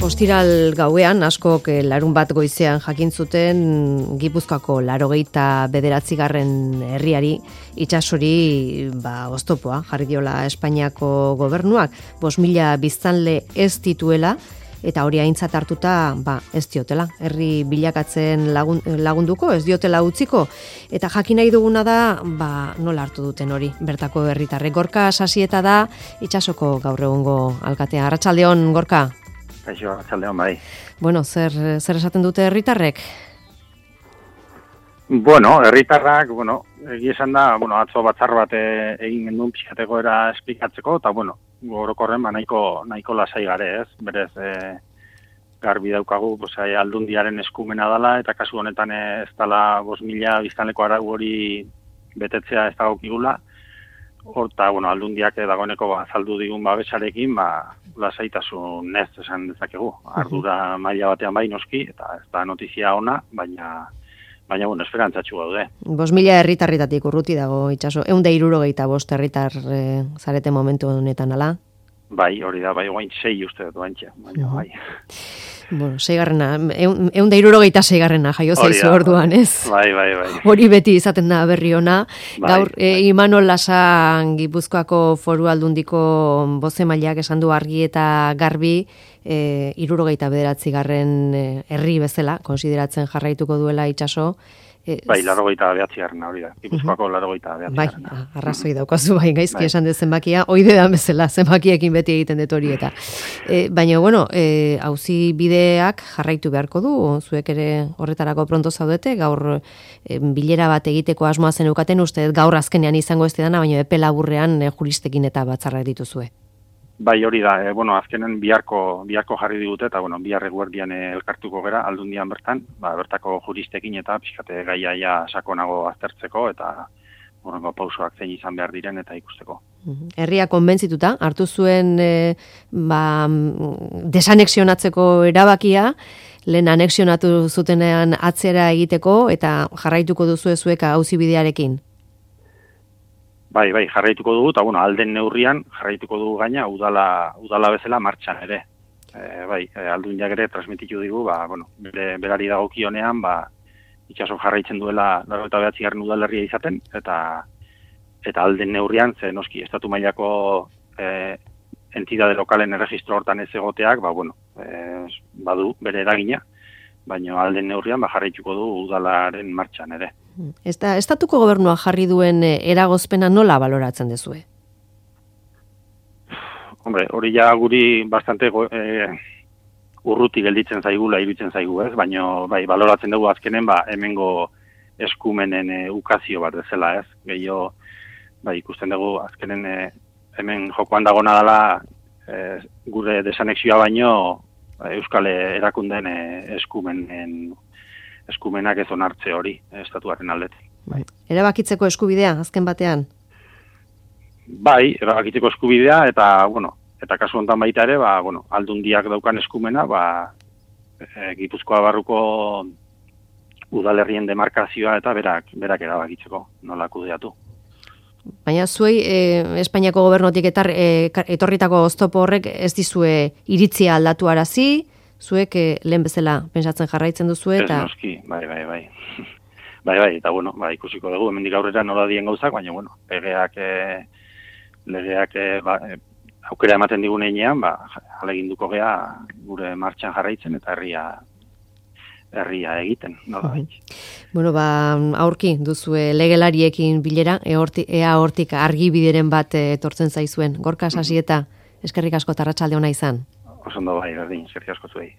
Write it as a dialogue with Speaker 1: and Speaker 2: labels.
Speaker 1: Ostiral gauean, askok larun bat goizean jakin zuten Gipuzkoako 89. herriari itsasori oztopoa jarri diola Espainiako gobernuak, 5.000 biztanle ez dituela, eta hori aintzat hartuta ez diotela. Herri bilakatzen lagunduko, ez diotela utziko, eta jakin nahi duguna da nola hartu duten hori bertako herritarrek. Gorka Sasieta da itsasoko gaur egungo alkatea. Arratsaldeon, Gorka.
Speaker 2: Kaixo, arratsaldeon bai.
Speaker 1: Bueno, zer esaten dute herritarrek?
Speaker 2: Herritarrak, egia esan da, atzo batzar bat egin gendun pixkateko era esplikatzeko, eta orokorren nahiko lasai gare, ez? Berez, garbi daukagu, aldundiaren eskumena dela, eta kasu honetan ez dela 5.000 biztanleko arau hori betetzea ez dagokigula. Horta, aldundiak dagoeneko azaldu digun babesarekin, lasaitasun ez esan dezakegu. Ardura maila batean bai noski, eta ez da notizia ona, baina esperantzatxu gaude.
Speaker 1: 5.000 herritarritatik urruti dago itxaso. 165 herritar zarete momentu honetan, ala?
Speaker 2: Bai, hori da, guain 6 uste dut baintxe, baina bai.
Speaker 1: 166 jaio zaizu orduan, ez?
Speaker 2: Bai.
Speaker 1: Hori beti izaten da berri ona. Gaur, Imanol Lasa Gipuzkoako Foru Aldundiko bozemaileak esan du argi eta garbi 79. herri bezala, konsideratzen jarraituko duela itsaso.
Speaker 2: 89. hori da. Gipuzkoako 89.
Speaker 1: Bai, arrazoi daukazu gaizki esan dut zenbakia, oide da bezala, zenbakiekin beti egiten dut hori eta. Baina, auzi bideak jarraitu beharko du, zuek ere horretarako pronto zaudete, gaur bilera bat egiteko asmoa zen eukaten, uste gaur azkenean izango ez dena, baina epe laburrean juristekin eta batzarra dituzue.
Speaker 2: Bai, hori da, azkenen biharko jarri digute, eta bihar eguerdian elkartuko gera, aldundian bertan, bertako juristekin eta pixkate gaia sakonago aztertzeko, eta horrengo pausoak zein izan behar diren eta ikusteko.
Speaker 1: Herria konbentzituta, hartu zuen desanexionatzeko erabakia, lehen anexionatu zutenean atzera egiteko, eta jarraituko duzu zuek auzi bidearekin.
Speaker 2: Bai, jarraituko dugu, eta alden neurrian jarraituko dugu gaina udala bezala martxan ere. Aldundiak ere transmititu digu, berari dagokionean, itxaso jarraitzen duela 89. udalerria izaten, eta alden neurrian, ze noski, estatu mailako entidade lokalen erregistro hortan ez egoteak, badu bere eragina, baina alden neurrian jarraituko du udalaren martxan ere.
Speaker 1: Estatuko gobernua jarri duen eragozpena nola baloratzen dezue?
Speaker 2: Hori ja guri bastante urruti gelditzen zaigula, iruditzen zaigu, ez? Baina baloratzen dugu azkenen hemengo eskumenen ukazio bat bezala, ez? Gehiago, ikusten dugu azkenen hemen jokoan dagona dela gure desanexioa baino Euskal erakundeen eskumenak ez onartze hori, estatuaren aldetik.
Speaker 1: Erabakitzeko eskubidea, azken batean?
Speaker 2: Bai, erabakitzeko eskubidea, eta kasu honetan baita ere, aldundiak daukan eskumena, Gipuzkoa barruko udalerrien demarkazioa eta berak erabakitzeko, nola kudeatu.
Speaker 1: Baina zuei, Espainiako gobernotik etorritako oztopo horrek ez dizue iritzia aldatu arazi, zuek lehen bezala pentsatzen jarraitzen duzu eta...
Speaker 2: Ez noski, bai. Eta ikusiko dugu, hemendik aurrera nola dien gauzak, baina legeak aukera ematen digun einean, aleginduko gea gure martxan jarraitzen eta herria egiten, nola baitz.
Speaker 1: Aurki duzue legelariekin bilera, ea hortik argibideren bat etortzen zaizuen. Gorka Sasieta, eskerrik asko eta arratsalde ona izan.
Speaker 2: Osondo berdin, eskerrik asko zuei.